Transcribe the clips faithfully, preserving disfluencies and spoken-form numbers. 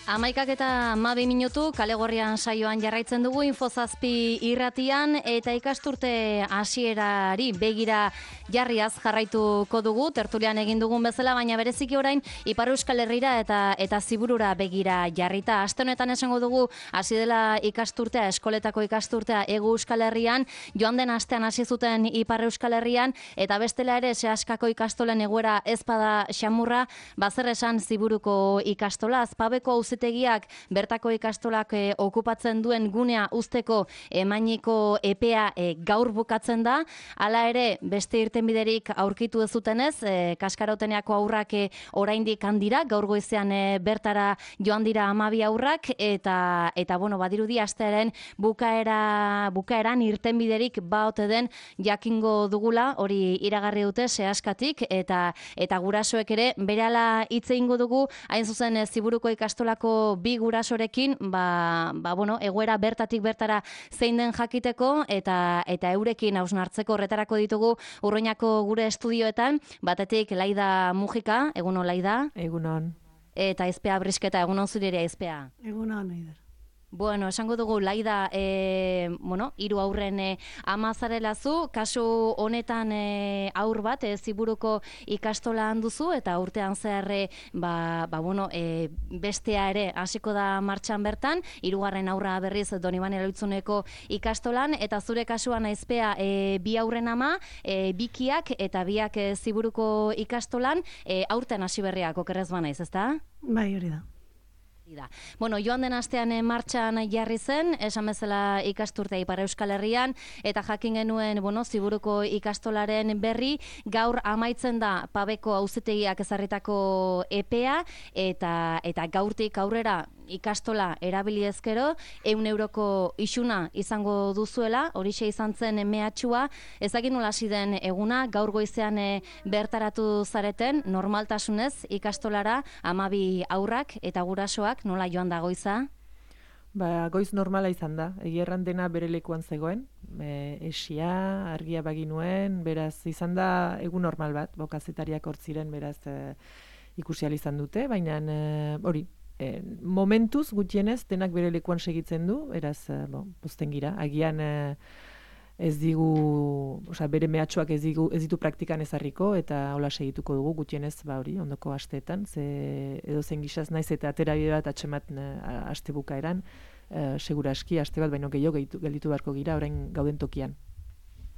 Amaikak eta hamabi minutu kalegorrian saioan jarraitzen dugu Infozazpi irratian eta ikasturte hasierari begira jarriaz jarraituko dugu tertulian egin dugun bezala, baina bereziki orain Ipar Euskal Herrira eta eta Ziburura begira jarrita. Aste honetan esango dugu hasi dela ikasturtea, eskoletako ikasturtea Hego Euskal Herrian, joan den astean hasi zuten Ipar Euskal Herrian eta bestela ere Seaskako ikastolen egoera ez bada xamurra, bazer esan Ziburuko ikastola. Azpabeko auzitegiak bertako ikastolak e, okupatzen duen gunea uzteko emainiko epea e, gaur bukatzen da. Hala ere, beste irtenbiderik aurkitu ez zutenez, e, Kaskaroteneako aurrak e, oraindik handira, gaur goizean e, bertara joan dira hamabi aurrak eta eta bueno, badirudi astearen bukaera bukaeran irtenbiderik baote den jakingo dugula, hori iragarri dute Seaskatik eta eta gurasoek ere berehala hitze eingo dugu, hain zuzen e, Ziburuko ikastolako bi gurasorekin, ba, ba bueno, egoera bertatik bertara zein den jakiteko eta eta eurekin hausnartzeko horretarako ditugu Urruñako gure estudioetan, batetik Laida Mujika, egunon Laida. Egunon. Eta Aizpea Brisketa, egunon zure ere Aizpea. Egunon, Aider. Bueno, esango dugu Laida, e, bueno, hiru aurren e, ama zarela zu, kasu honetan e, aur bat e, Ziburuko ikastola handuzu eta urtean zehar e, ba, ba, bueno, e, bestea ere hasiko da martxan bertan, hirugarren aurra berriz Donibane Loitzuneko ikastolan eta zure kasuan Aizpea e, bi aurren ama, e, bikiak eta biak e, Ziburuko ikastolan e, aurten hasi berriak okerrez banaiz, ezta? Bai, hori da. Bueno, joan den astean martxan jarri zen, esan bezala ikasturtea Ipar Euskal Herrian, eta jakin genuen, bueno, Ziburuko ikastolaren berri, gaur amaitzen da Pabeko auzitegiak ezarritako epea, eta eta gaurtik aurrera ikastola erabili ezkero, ehun euroko isuna izango duzuela, horixe izan zen mehatxua, ezagin nola hasi den eguna, gaur goizean e, bertaratu zareten, normaltasunez ikastolara hamabi aurrak eta gurasoak, nola joan da goiza? Ba, goiz normala izan da, egierran dena bere lekuan zegoen, e, esia, argia baginuen, beraz izan da egun normal bat, bokazetariak hortziren, beraz e, ikusial izan dute, baina e, hori, e, momentuz gutxienez denak bere lekuan segitzen du, beraz, e, bo, pozten gira, agian e, ez digu, osea, bere mehatxuak ez, digu, ez ditu praktikan ezarriko eta hola segituko dugu gutxienez ba hori ondoko asteetan, ze edo zen gizaz naiz eta aterabide bat atxemat aste bukaeran, e, segura aski aste bat baino gehiago gelditu beharko gira orain gauden tokian.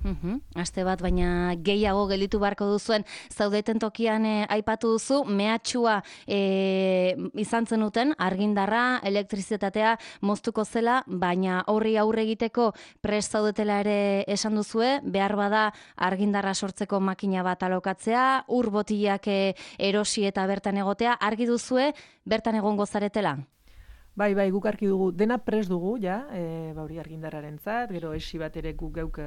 Uhum. Aste bat, baina gehiago gelditu beharko duzuen zaudeten tokian e, aipatu duzu, mehatxua e, izan zenuten, argindarra, elektrizitatea moztuko zela, baina horri aurre egiteko prest zaudetela ere esan duzue, behar bada argindarra sortzeko makina bat alokatzea, ur botilak e, erosi eta bertan egotea, argi duzue bertan egongo zaretela? Bai, bai, guk argi dugu, dena prest dugu, ja, e, bauri argindarrarentzat, gero esi bat ere guk geuk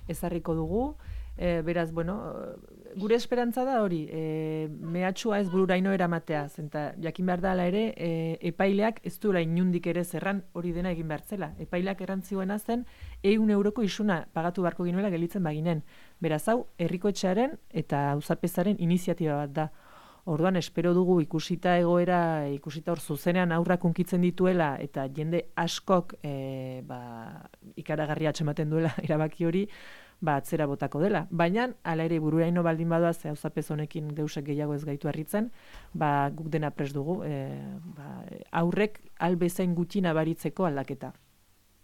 ezarriko dugu, e, beraz, bueno, gure esperantza da hori, e, mehatxua ez bururaino eramatea, zenta jakin behar dela ere, e, epaileak ez duela inundik ere zerran hori dena egin behar zela. Epaileak errantzioena zen, ehun euroko isuna pagatu beharko ginuela gelitzen baginen. Beraz, hau, herrikoetxearen eta auzapezaren iniziatiba bat da. Orduan, espero dugu ikusita egoera, ikusita hor zuzenean aurrak unkitzen dituela eta jende askok e, ba, ikaragarria atxematen duela erabaki hori, ba, atzera botako dela. Baina, ala ere bururaino baldin badoa, ze auzapez honekin deusek gehiago ez gaitu harritzen, ba, guk dena prest dugu, e, ba, aurrek albezain gutxi nabaritzeko aldaketa.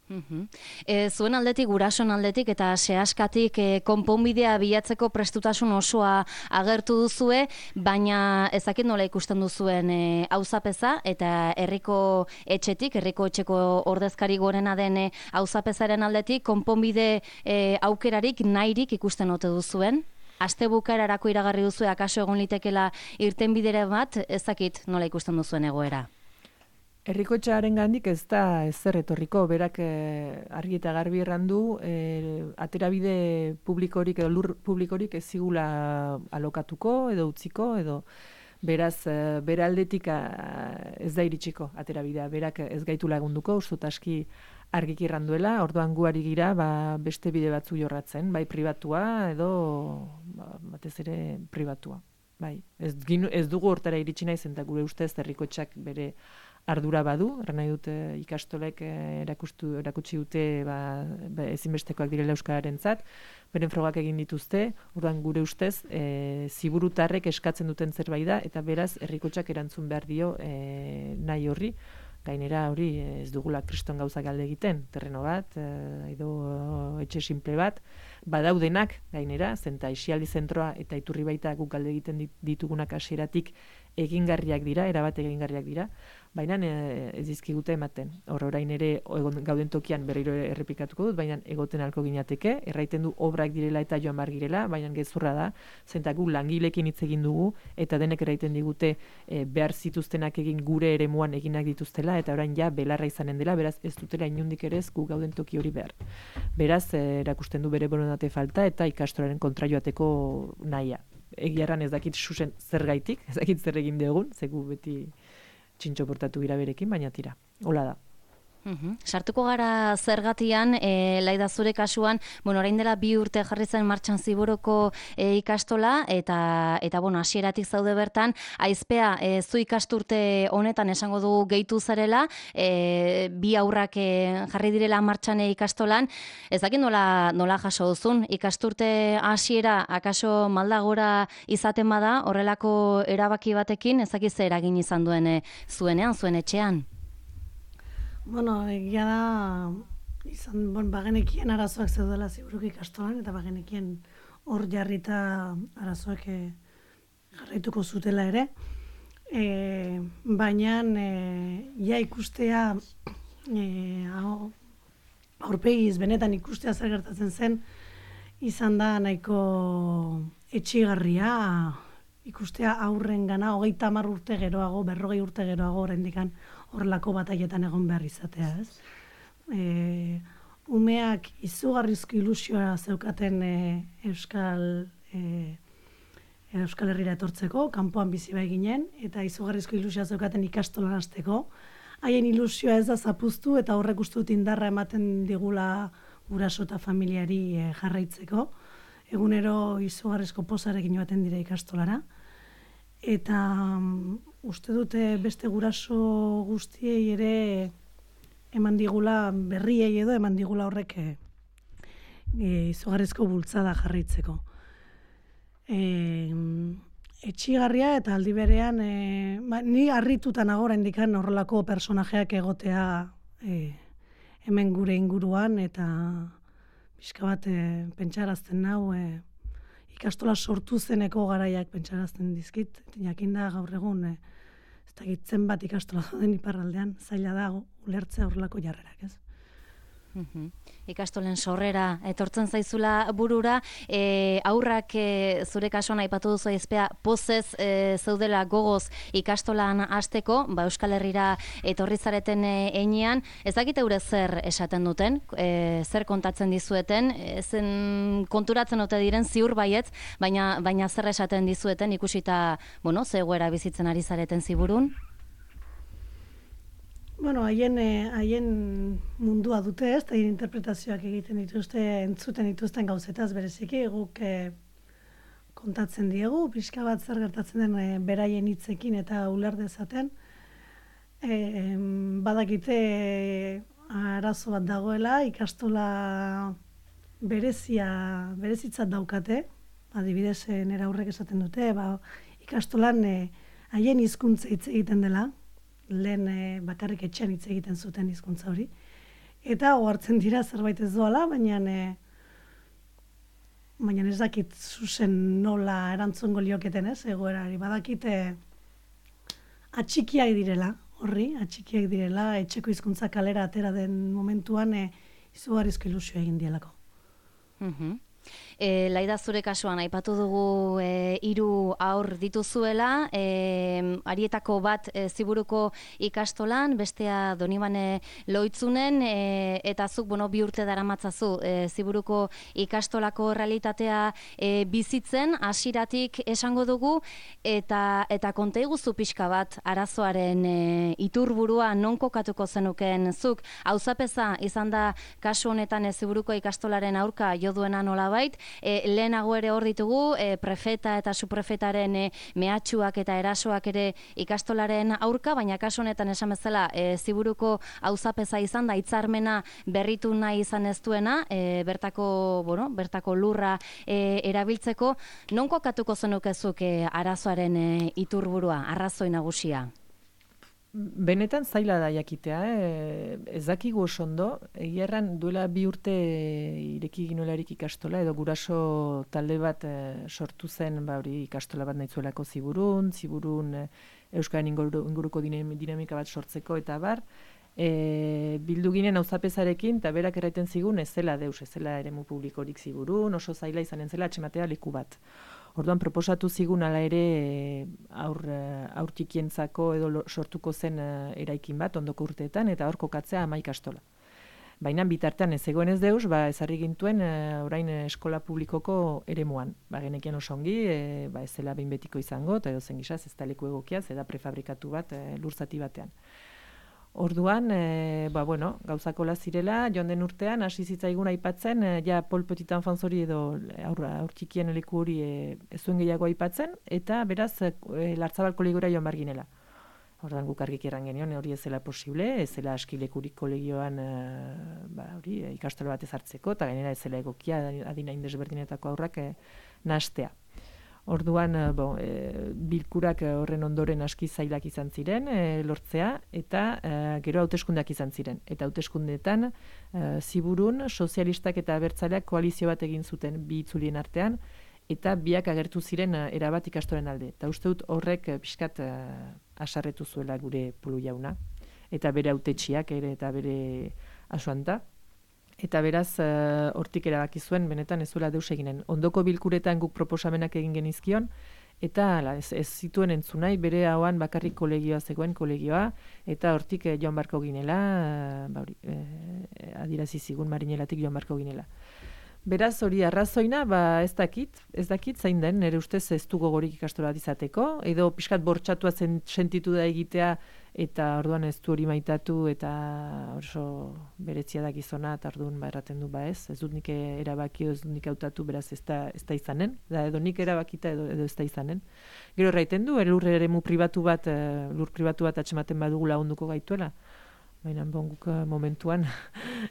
Uhum. E, zuen aldetik, gurason aldetik eta Seaskatik e, konponbidea bilatzeko prestutasun osoa agertu duzue, baina ezakit nola ikusten duzuen e, auzapeza eta herriko etxetik, herriko etxeko ordezkari gorena den e, auzapezaren aldetik konponbide e, aukerarik nahirik ikusten ote duzuen? Aste bukaerarako iragarri duzue akaso egon litekela irtenbidere bat, ezakit nola ikusten duzuen egoera? Herrikoetxearen gandik ez da ezer etorriko, berak eh, argi eta garbi errandu, eh, aterabide publikorik edo lur publikorik ez zigula alokatuko edo utziko, edo beraz eh, bere aldetik eh, ez da iritsiko aterabidea, berak ez gaitu lagunduko, ustut aski argiki erranduela, orduan gu ari gira ba, beste bide batzu jorratzen, bai pribatua edo ba, batez ere pribatua. Bai, ez, ginu, ez dugu hortara iritsi naiz, eta gure ustez herrikoetxeak bere ardura badu, erran nahi dut ikastolek erakustu, erakutsi dute ba, ba, ezinbestekoak direla euskararentzat, beren frogak egin dituzte, orduan gure ustez, e, ziburutarrek eskatzen duten zerbait da, eta beraz, herrikotxak erantzun behar dio e, nahi horri, gainera hori ez dugula kriston gauzak alde egiten, terreno bat, e, edo etxe simple bat, badaudenak gainera, zenta isialdi zentroa eta iturri baita guk alde egiten ditugunak hasieratik egingarriak dira, erabat egingarriak dira, baina ez dizkigute ematen. Hor orain ere egon, gauden tokian berriro errepikatuko dut, baina egoten alko ginateke, erraiten du obrak direla eta joan bar girela, baina gezurra da, zenta gu langilekin hitz egin dugu, eta denek erraiten digute e, behar zituztenak egin gure eremuan eginak dituztela, eta orain ja belarra izanen dela, beraz ez dutela inundik ere ez gu gauden toki hori behar. Beraz, e, erakusten du bere borondate falta eta ikastolaren kontra joateko nahia. Egiarran ez dakit susen zergaitik, ez dakit zer egin dugun, zegu beti txintxo portatu gira berekin, baina tira, hola da. Uhum. Sartuko gara zergatian, e, Laida zure kasuan, bueno, orain dela bi urte jarri zen martxan Ziburuko e, ikastola, eta, eta bueno, hasieratik zaude bertan, aizpea, e, zu ikasturte honetan esango dugu gehitu zarela, e, bi aurrak e, jarri direla martxan ikastolan, ez dakit nola, nola jaso duzun, ikasturte hasiera, akaso maldagora izaten bada, horrelako erabaki batekin, ez dakit zer eragin izan duen e, zuenean, zuen etxean? Bueno, egia da, izan, bon, bagenekien arazoak zeudela Ziburuko ikastolan, eta bagenekien hor jarrita arazoak e, jarraituko zutela ere. E, baina, e, ja ikustea, e, aurpegiz benetan ikustea zer gertatzen zen, izan da nahiko etxigarria, ikustea aurren gana, hogeita hamar urte geroago, berrogei urte geroago oraindikan horrelako batailetan egon behar izatea, ez? E, umeak izugarrizko ilusioa zeukaten e, Euskal e, Euskal Herrira etortzeko, kanpoan bizi bai ginen, eta izugarrizko ilusioa zeukaten ikastolan hasteko. Haien ilusioa ez da zapuztu, eta horrek uste dut indarra ematen digula guraso eta familiari e, jarraitzeko. Egunero izugarrizko pozarekin joaten dira ikastolara. Eta um, uste dute beste guraso guztiei ere eman digula, berriei edo eman digula horrek e, izugarrizko bultzada jarraitzeko. E, etxigarria eta aldi berean, e, ba, ni harritutan agora indikan horrelako personajeak egotea e, hemen gure inguruan, eta pixka bat e, pentsarazten nau, e, ikastola sortu zeneko garaiak pentsarazten dizkit, jakinda gaur egun, e, ez dakit zenbat ikastola dauden iparraldean, zaila dago ulertzea horrelako jarrerak, ez? Uhum. Ikastolen sorrera etortzen zaizula burura, e, aurrak e, zure kasuan aipatu duzu aizpea pozez e, zeudela gogoz ikastolan hasteko, ba Euskal Herrira etorri zareten e, heinean, ez dakit eure zer esaten duten, e, zer kontatzen dizueten, e, zen konturatzen ote diren ziur baietz, baina baina zer esaten dizueten ikusita, bueno, ze egoera bizitzen ari zareten Ziburun? Bueno, haien, haien mundua dute ez, eta haien interpretazioak egiten dituzte, entzuten dituzten gauzetaz bereziki, guk e, kontatzen diegu, pixka bat zer gertatzen den e, beraien hitzekin eta uler dezaten. E, badakite e, arazo bat dagoela, ikastola berezia, berezitzat daukate, adibidez nera aurrek esaten dute, ba, ikastolan e, haien hizkuntza hitz egiten dela, lehen e, bakarrik etxean hitz egiten zuten hizkuntza hori. Eta ohartzen dira zerbait ez doala, baina e, baina ez dakit zuzen nola erantzungo lioketen ez, egoerari. Badakite atxikiak direla, horri, atxikiak direla, etxeko hizkuntza kalera atera den momentuan e, izugarrizko ilusio egin dielako. Mhm. E, Laida zure kasuan aipatu dugu e, hiru aur dituzuela, e, harietako bat e, Ziburuko ikastolan, bestea Donibane Loitzunen, e, eta zuk bueno, bi urte daramatzazu e, Ziburuko ikastolako realitatea e, bizitzen, hasieratik esango dugu, eta eta konta iguzu pixka bat arazoaren e, iturburua non kokatuko zenuken zuk, auzapeza izan da kasu honetan e, Ziburuko ikastolaren aurka jo duena nolabait, nolabait, e, lehenago ere hor ditugu, e, prefeta eta suprefetaren e, mehatxuak eta erasoak ere ikastolaren aurka, baina kasu honetan esan bezala, e, Ziburuko auzapeza izan da hitzarmena berritu nahi izan ez duena, e, bertako, bueno, bertako lurra e, erabiltzeko, non kokatuko zenukezuk e, arazoaren e, iturburua, arrazoi nagusia? Benetan zaila da jakitea, eh? Ez dakigu oso ondo, egia erran duela bi urte ireki ginolarik ikastola, edo guraso talde bat eh, sortu zen, ba hori ikastola bat nahizuelako Ziburun, Ziburun eh, Euskaren inguru, inguruko dinamika bat sortzeko eta bar, e, bildu ginen auzapezarekin, eta berak erraiten zigun ez zela deus, ez zela eremu publikorik Ziburun, oso zaila izanen zela atxematea leku bat. Orduan proposatu zigun ala ere aur, aur txikientzako edo sortuko zen eraikin bat ondoko urteetan eta hor kokatzea ama ikastola. Baina bitartean ez egoen ez deus, ba, ezarri gintuen orain eskola publikoko eremuan. Ba, genekien oso ongi, e, ba, ez zela behin betiko izango, eta edo zen gizaz ez da leku egokia, ez da prefabrikatu bat e, lurzati batean. Orduan, e, ba, bueno, gauzako zirela, joan den urtean, hasi zitzaigun aipatzen, e, ja Pol Petit Enfants hori edo aurtxikien leku hori e, ez zuen gehiago aipatzen, eta beraz, e, Lartzabal kolegiora joan bar ginela. Orduan guk argik erran genion, hori ez zela posible, ez zela askilekurik kolegioan e, ba, hori, e, ikastola bat ezartzeko, eta gainera ez zela egokia adina indesberdinetako aurrak e, nahastea. Orduan, bo, e, bilkurak horren ondoren aski zailak izan ziren, e, lortzea, eta e, gero hauteskundeak izan ziren. Eta hauteskundeetan, e, Ziburun, sozialistak eta abertzaleak koalizio bat egin zuten bi itzulien artean, eta biak agertu ziren e, erabat ikastoren alde. Eta uste dut horrek pixkat e, asarretu zuela gure Pulu jauna, eta bere hautetxiak ere eta bere asuanta. Eta beraz, hortik uh, erabaki zuen, benetan ez zuela deus eginen. Ondoko bilkuretan guk proposamenak egin genizkion, eta ala, ez, ez zituen entzunai, bere hauan bakarrik kolegioa zegoen kolegioa, eta hortik eh, joan barko ginela, uh, ba, eh, adirazi zigun marinelatik joan barko ginela. Beraz, hori arrazoina, ba, ez dakit, ez dakit zain den, nire ustez ez du gogorik ikastola bat izateko, edo pixkat bortxatua zen, sentitu da egitea, eta orduan ez du hori maitatu, eta oso beretzia da gizona, eta orduan ba, erraten du ba ez, ez dut nik erabaki, ez dut nik hautatu, beraz ez da, ez da izanen, da, edo nik erabakita edo, edo ez da izanen. Gero erraiten du, lur eremu pribatu bat, lur pribatu bat atxematen badugu lagunduko gaituela. Baina bon, guk momentuan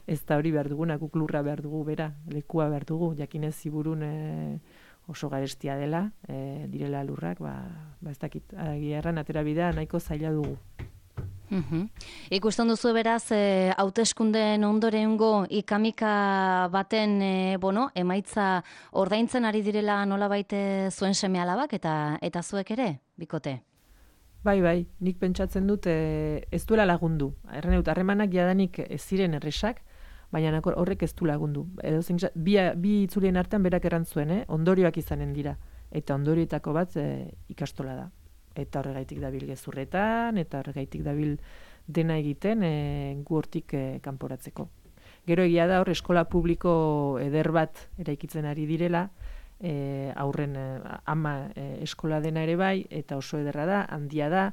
ez da hori behar duguna, guk lurra behar dugu, bera, lekua behar dugu, jakinez Ziburun e, oso garestia dela, e, direla lurrak, ba, ba ez dakit, agiarran atera bidea nahiko zaila dugu. Uhum. Ikusten duzu beraz, e, hauteskundeen ondorengo ikamika baten e, bueno, emaitza ordaintzen ari direla nolabait zuen seme alabak eta, eta zuek ere, bikote? Bai, bai, nik pentsatzen dut e, ez duela lagundu. Erren dut, harremanak jadanik ez ziren erresak, baina horrek ez du lagundu. Edo zen, bi, bi itzulien artean berak errantzuen, eh? Ondorioak izanen dira. Eta ondorioetako bat e, ikastola da. Eta horregaitik dabil gezurretan, eta horregaitik dabil dena egiten e, gu hortik e, kanporatzeko. Gero egia da hor eskola publiko eder bat eraikitzen ari direla, E, aurren e, ama e, eskola dena ere bai, eta oso ederra da, handia da,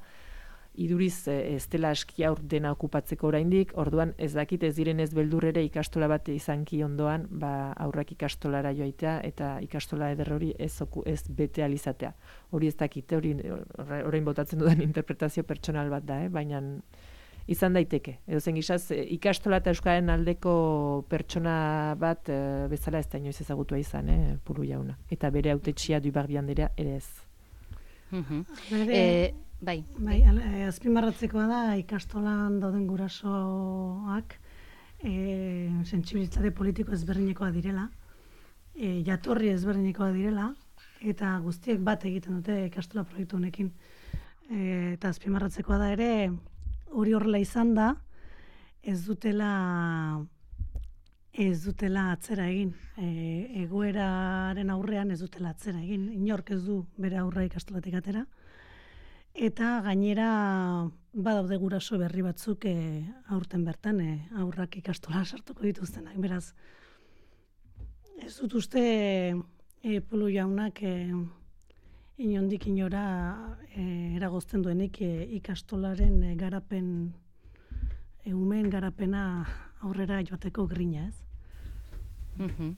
iduriz e, ez dela aski aur dena okupatzeko oraindik, orduan ez dakit ez diren ez beldur ere ikastola bat izanki ondoan, ba, aurrak ikastolara joaitea, eta ikastola eder hori ez, oku, ez bete alizatea. Hori ez dakit, hori orain botatzen dudan interpretazio pertsonal bat da, eh? Baina izan daiteke. Edo zen gizaz, ikastola eta euskaren aldeko pertsona bat e, bezala ez da inoiz ezagutua izan, eh, Pulu jauna. Eta bere hautetxia Dubarbi anderea ere ez. Mm-hmm. Bere, e, bai. Bai, azpimarratzekoa da ikastolan dauden gurasoak e, sentsibilitate politiko ezberdinekoa direla, e, jatorri ezberdinekoa direla, eta guztiek bat egiten dute ikastola proiektu honekin. E, eta azpimarratzekoa da ere, hori horrela izan da, ez dutela ez dutela atzera egin. E, egoeraren aurrean ez dutela atzera egin. Inork ez du bere aurra ikastolatik atera. Eta gainera badaude guraso berri batzuk e, aurten bertan e, aurrak ikastola sartuko dituztenak. Beraz, ez dut uste e, Pulu jaunak e, inondik inora e, eragozten duenik e, ikastolaren e, garapen, e, umeen garapena aurrera joateko grina, ez? Mm-hmm.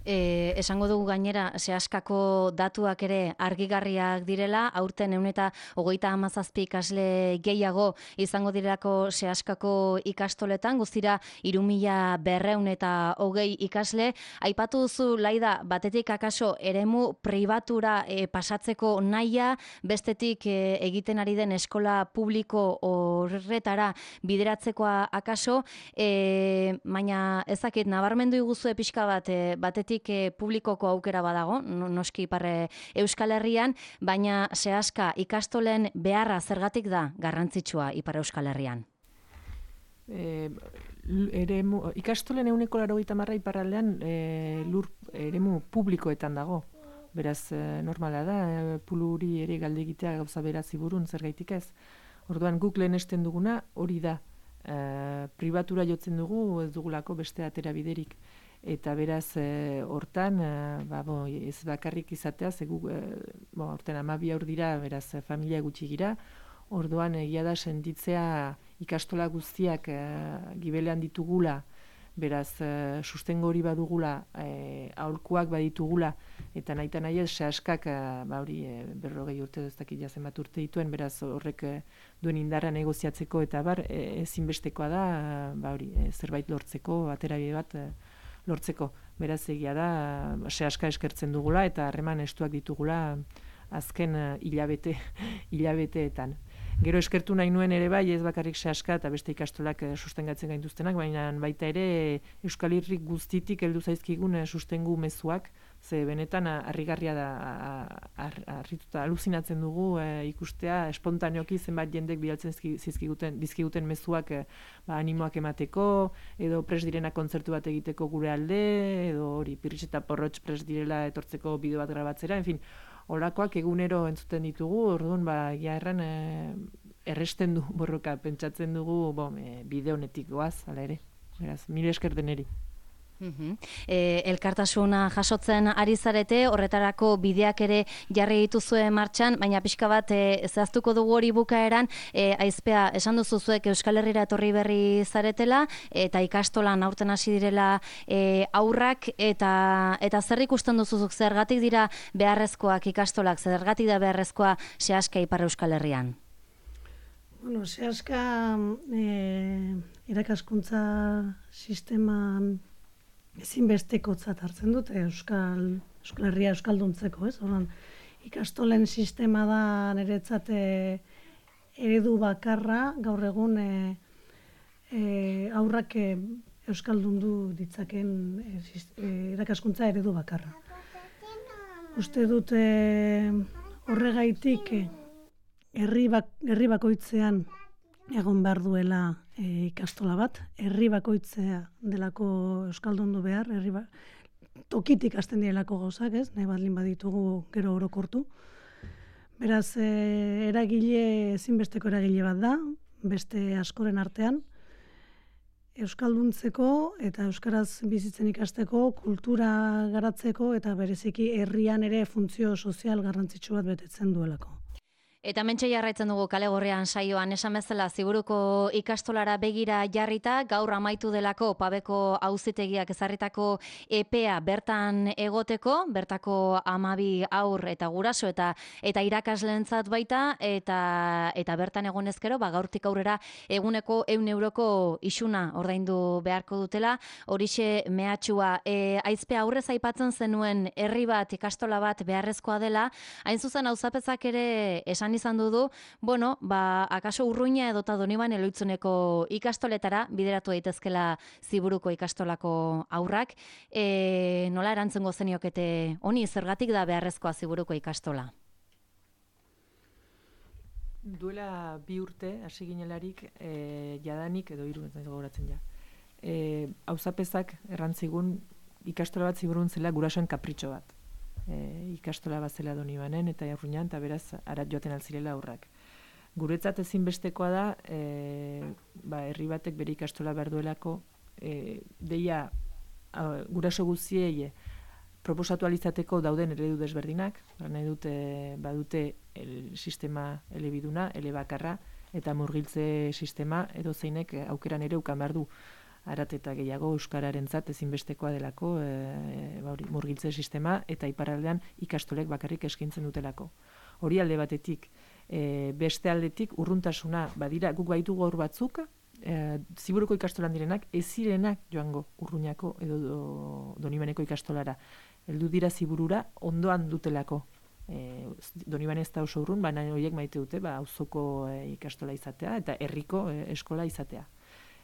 E, esango dugu gainera, sehaskako datuak ere argigarriak direla, aurten ehun eta hogeita hamazazpi ikasle gehiago izango direlako sehaskako ikastoletan, guztira hiru mila berrehun eta hogei ikasle. Aipatu duzu, Laida, batetik akaso eremu pribatura e, pasatzeko nahia, bestetik e, egiten ari den eskola publiko horretara bideratzekoa akaso, e, baina ezakit, nabarmendu iguzue pixka bat, e, batetik e, publikoko aukera badago, noski Ipar Euskal Herrian, baina sehaska ikastolen beharra zergatik da garrantzitsua Ipar Euskal Herrian? E, eremu, ikastolen ehuneko laurogeita hamar iparraldean e, lur eremu publikoetan dago. Beraz, e, normala da, e, puluri ere galde egitea gauza berazi burun, zergaitik ez. Orduan guk lehenesten duguna hori da. E, pribatura jotzen dugu, ez dugulako beste atera biderik. Eta beraz, e, hortan, e, ba, bo, ez bakarrik izatea, zegu, e, bo, horten amabi aur dira, beraz, e, familia gutxi gira, orduan egia da sentitzea ikastola guztiak e, gibelean ditugula, beraz, e, sustengo hori badugula, e, aholkuak baditugula, eta nahita nahi ez, sehaskak, e, ba, hori, e, berrogei urte, ez dakit jazen bat urte dituen, beraz, horrek e, duen indarra negoziatzeko, eta bar, e, ezinbestekoa da, e, ba, hori, e, zerbait lortzeko, aterabide bat, e, lortzeko. Beraz egia da, sehaska eskertzen dugula eta harreman estuak ditugula azken hilabete, hilabeteetan. Gero eskertu nahi nuen ere bai, ez bakarrik sehaska eta beste ikastolak sustengatzen gaituztenak, baina baita ere Euskal Herrik guztitik heldu zaizkigun sustengu mezuak, ze benetan harrigarria da, harrituta aluzinatzen dugu e, ikustea espontaneoki zenbat jendek bidaltzen zizkiguten, dizkiguten mezuak e, ba, animoak emateko, edo pres direna kontzertu bat egiteko gure alde, edo hori pirritx eta porrotx pres direla etortzeko bideo bat grabatzera, en fin, olakoak egunero entzuten ditugu, orduan ba, egia erran e, erresten du borroka, pentsatzen dugu bom, e, bide honetik goaz, ala ere. Beraz, mire esker deneri. Uh-huh. E, elkartasuna jasotzen ari zarete, horretarako bideak ere jarri dituzue martxan, baina pixka bat e, zehaztuko dugu hori bukaeran, e, Aizpea, esan duzu zuek Euskal Herrira etorri berri zaretela, eta ikastolan aurten hasi direla e, aurrak, eta, eta zer ikusten duzuzuk, zergatik dira beharrezkoak ikastolak, zergatik da beharrezkoa sehaska Ipar Euskal Herrian? Bueno, sehaska e, irakaskuntza sisteman ezinbestekotzat hartzen dut Euskal, Euskal Herria euskalduntzeko, ez? Orduan, ikastolen sistema da niretzat eredu bakarra, gaur egun e, e, aurrak e, euskaldundu ditzaken e, e, irakaskuntza eredu bakarra. Uste dut e, horregaitik e, herri, bak, herri bakoitzean egon behar duela e, ikastola bat, herri bakoitzea delako euskaldundu behar, herri ba, tokitik hasten direlako gauzak, ez? Nahi badlin baditugu gero orokortu. Beraz, e, eragile, ezinbesteko eragile bat da, beste askoren artean, euskalduntzeko eta euskaraz bizitzen ikasteko, kultura garatzeko eta bereziki herrian ere funtzio sozial garrantzitsu bat betetzen duelako. Eta mentxe jarraitzen dugu Kale Gorrian saioan, esan bezala Ziburuko ikastolara begira jarrita, gaur amaitu delako Pabeko auzitegiak ezarritako epea bertan egoteko, bertako hamabi haur eta guraso eta eta irakasleentzat baita, eta eta bertan egon ezkero, ba, gaurtik aurrera eguneko ehun euroko isuna ordaindu beharko dutela, horixe mehatxua. E, Aizpea, aurrez aipatzen zenuen herri bat, ikastola bat beharrezkoa dela, hain zuzen auzapezak ere esan izan dudu, bueno, ba, akaso Urruña edota Donibane Loitzuneko ikastoletara bideratu daitezkela Ziburuko ikastolako aurrak. E, nola erantzungo zeniokete honi, zergatik da beharrezkoa Ziburuko ikastola? Duela bi urte, hasi ginelarik, e, jadanik, edo hiru ez gogoratzen ja. E, auzapezak errantzigun ikastola bat Ziburun zela gurasoen kapritxo bat. E, ikastola bat zela Donibanen eta Urruñan, eta beraz arat joaten altzirela aurrak. Guretzat ezinbestekoa da, e, ba, herri batek bere ikastola behar duelako, e, deia a, guraso guztiei proposatu alizateko dauden eredu desberdinak, nahi dute, badute el sistema elebiduna, elebakarra, eta murgiltze sistema edo zeinek aukeran ere ukan behar du. arat eta gehiago euskararentzat ezinbestekoa delako e, ba hori, murgiltze sistema eta iparraldean ikastolek bakarrik eskaintzen dutelako. Hori alde batetik, e, beste aldetik urruntasuna badira guk baitu gaur batzuk, e, Ziburuko ikastolan direnak ez zirenak joango Urruñako edo do, Donibaneko ikastolara. Heldu dira Ziburura ondoan dutelako. E, Doniban ez da oso urrun, baina horiek maite dute ba, auzoko e, ikastola izatea eta herriko e, eskola izatea.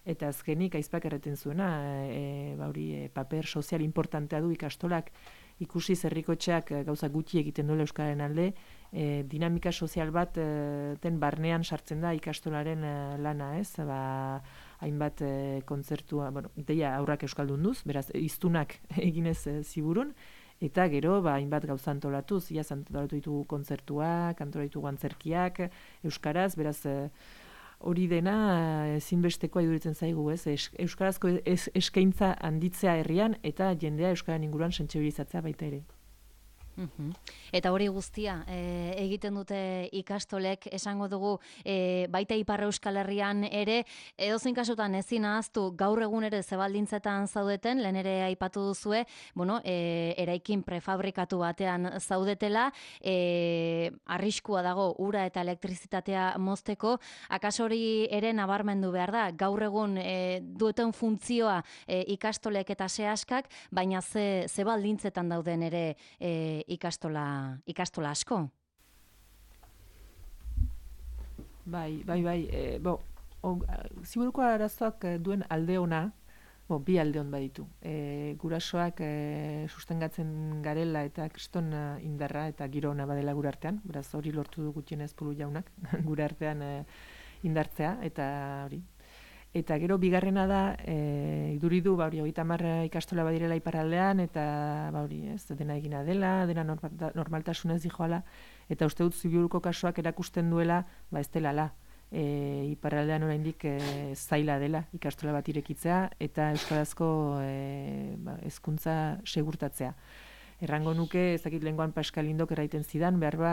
Eta azkenik aizpak erreten zuena, e, ba, hori, e, paper sozial importantea du ikastolak, ikusi herrikotxeak gauza gutxi egiten duela euskararen alde, e, dinamika sozial bat e, den barnean sartzen da ikastolaren e, lana, ez? Ba, hainbat e, kontzertua, bueno, deia aurrak euskaldun duz, beraz, iztunak eginez e, Ziburun, eta gero, ba, hainbat gauza antolatuz, iaz antolatu ditugu kontzertuak, antolatu ditugu antzerkiak, euskaraz, beraz, e, hori dena ezinbestekoa iduritzen zaigu, ez? Euskarazko es, eskaintza handitzea herrian eta jendea euskaren inguruan sentsibilizatzea baita ere. Uhum. Eta hori guztia e, egiten dute ikastolek, esango dugu e, baita Ipar Euskal Herrian ere, edozein kasutan ezin ahaztu gaur egun ere zebaldintzetan zaudeten, lehen ere aipatu duzue, bueno, e, eraikin prefabrikatu batean zaudetela, e, arriskua dago ura eta elektrizitatea mozteko, akaso hori ere nabarmendu behar da, gaur egun e, dueten funtzioa e, ikastolek eta sehaskak, baina ze, ze baldintzetan dauden ere e, ikastola, ikastola asko? Bai, bai, bai. E, bo, o, Ziburuko arazoak duen alde ona, bo, bi alde hon baditu. E, gurasoak e, sustengatzen garela eta kriston indarra eta giro ona badela gure artean, beraz hori lortu du gutienez Pulu jaunak, gure artean e, indartzea, eta hori. Eta gero bigarrena da, e, iduridu, ba hori, hogeita hamar ikastola badirela iparraldean, eta ba hori, ez, dena egina dela, dena normaltasunez dijoala, eta uste dut Ziburuko kasuak erakusten duela, ba ez delala. E, iparraldean oraindik e, zaila dela ikastola bat irekitzea, eta euskarazko e, ba, hezkuntza segurtatzea. Errango nuke, ez dakit lehengoan Pascal Indok erraiten zidan, behar ba,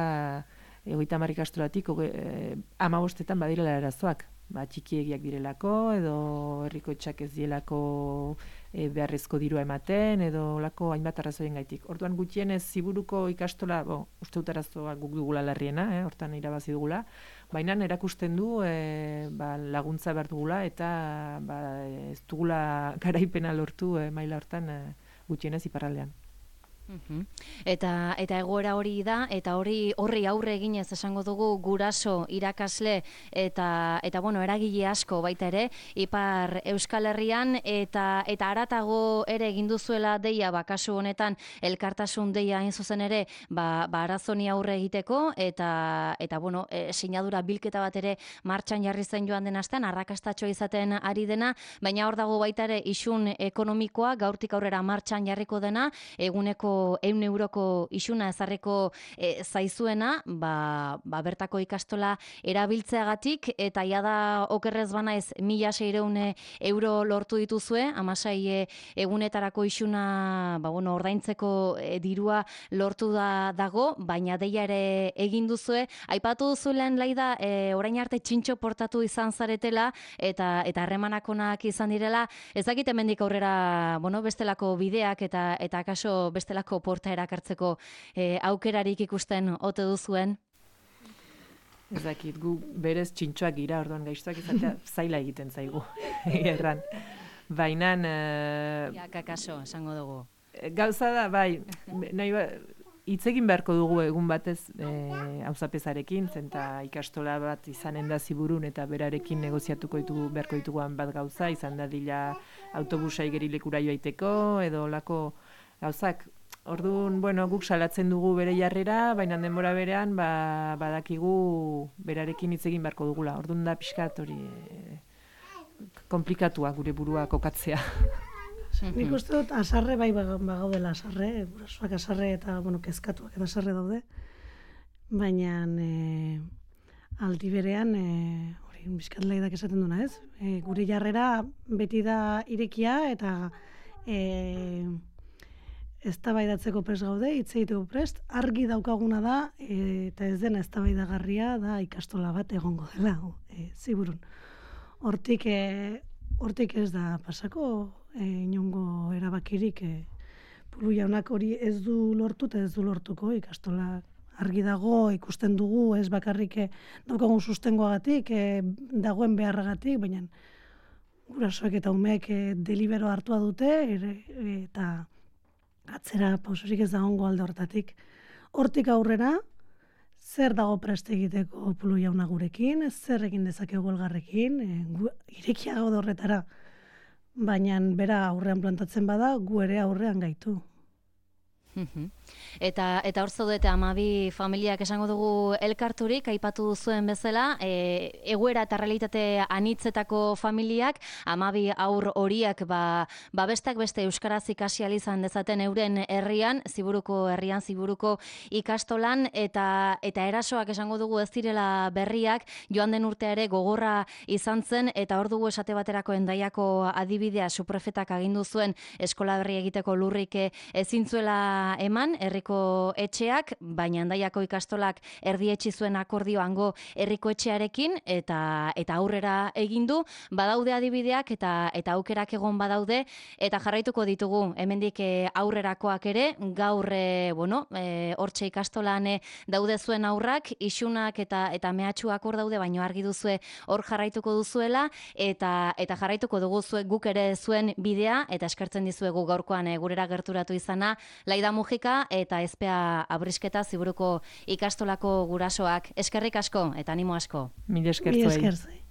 hogeita hamar ikastolatik, e, hamabostetan badirela arazoak. Ba, txikiegiak direlako, edo herrikoetxak ez dielako e, beharrezko dirua ematen, edo lako hainbat arrazoien gaitik. Orduan gutxienez Ziburuko ikastola, bo, uste dut arazoa guk dugula larriena, eh, hortan irabazi dugula, baina erakusten du e, ba, laguntza behar dugula, eta ba, ez dugula garaipena lortu e, maila hortan e, gutxienez iparraldean. Uhum. Eta eta egoera hori da, eta hori horri aurre eginez esango dugu guraso, irakasle eta eta bueno, eragile asko baita ere Ipar Euskal Herrian, eta eta haratago ere egin duzuela deia, ba kasu honetan elkartasun deia hain zuzen ere, ba, ba arazoni aurre egiteko, eta eta bueno, e, sinadura bilketa bat ere martxan jarri zen joan den astean, arrakastatxo izaten ari dena, baina hor dago baita ere isun ekonomikoa, gaurtik aurrera martxan jarriko dena, eguneko ehun euroko isuna ezarriko e, zaizuena, ba, ba bertako ikastola erabiltzeagatik, eta ia da okerrez banaiz mila seiehun euro lortu dituzue, hamasei egunetarako isuna ba, bueno, ordaintzeko e, dirua lortu da dago, baina deia ere egin duzue. Aipatu duzulen Laida, e, orain arte txintxo portatu izan zaretela, eta eta harremanakonak izan direla, ez dakit hemendik aurrera, bueno, bestelako bideak eta eta akaso bestelako porta erakartzeko e, aukerarik ikusten ote duzuen? Ez dakit, gu berez txintxoak gira, orduan gaiztuak izatea zaila egiten zaigu, erran. Baina... Uh, ja, kakaso, esango dugu. Gauza da, bai, nahi ba, hitz egin beharko dugu egun batez auzapezarekin, e, zenta ikastola bat izanen da Ziburun eta berarekin negoziatuko ditugu beharko dituguan bat gauza, izan da dila autobusa igerilekura joaiteko, edo lako gauzak. Orduan, bueno, guk salatzen dugu bere jarrera, baina denbora berean ba, badakigu berarekin hitz egin beharko dugula. Orduan da pixkat hori e, komplikatua gure burua kokatzea. Nik uste dut asarre bai bagaudela asarre, gurasoak asarre eta bueno, kezkatuak eta asarre daude. Baina e, aldi berean, e, hori bizkat Laidak esaten duna, ez? E, gure jarrera beti da irekia eta e, eztabaidatzeko prest gaude, hitz egiteko prest, argi daukaguna da, e, eta ez dena eztabaidagarria da ikastola bat egongo dela, e, Ziburun. Hortik, e, hortik ez da pasako e, inongo erabakirik e, Pulu jaunak hori ez du lortu eta ez du lortuko ikastola argi dago, ikusten dugu, ez bakarrik e, daukagun sustengoagatik, e, dagoen beharragatik, baina gurasoek eta umeek e, delibero hartua dute ere, eta atzera pausorik ez dagoengo alde hortatik. Hortik aurrera, zer dago prest egiteko Pulu jauna gurekin, zer egin dezakegu elgarrekin, e, gu, irekia gaude horretara. Baina bera aurrean plantatzen bada, gu ere aurrean gaitu. Eta eta hor zaudete hamabi familiak esango dugu elkarturik, aipatu zuen bezala, e, egoera eta realitate anitzetako familiak, hamabi haur horiek ba, ba bestak beste euskaraz ikasi ahal izan dezaten euren herrian, Ziburuko herrian, Ziburuko ikastolan, eta eta erasoak esango dugu ez direla berriak, joan den urtea ere gogorra izan zen, eta hor dugu esate baterako Hendaiako adibidea, suprefetak agindu zuen eskola berri egiteko lurrik ezin zuela eman, herriko etxeak, baina Hendaiako ikastolak erdietsi zuen akordio hango herriko etxearekin, eta eta aurrera egin du, badaude adibideak eta eta aukerak egon badaude, eta jarraituko ditugu hemendik aurrerakoak ere, gaur e, bueno, e, hortxe ikastolan e, daude zuen aurrak, isunak eta eta mehatxuak hor daude, baino argi duzue hor jarraituko duzuela, eta eta jarraituko dugu zuek guk ere zuen bidea, eta eskertzen dizuegu gaurkoan e, gurera gerturatu izana, Laida Mujika eta Ezpea Abrisketa Ziburuko ikastolako gurasoak. Eskerrik asko eta animo asko. Mila esker Mila zuei. esker zuei.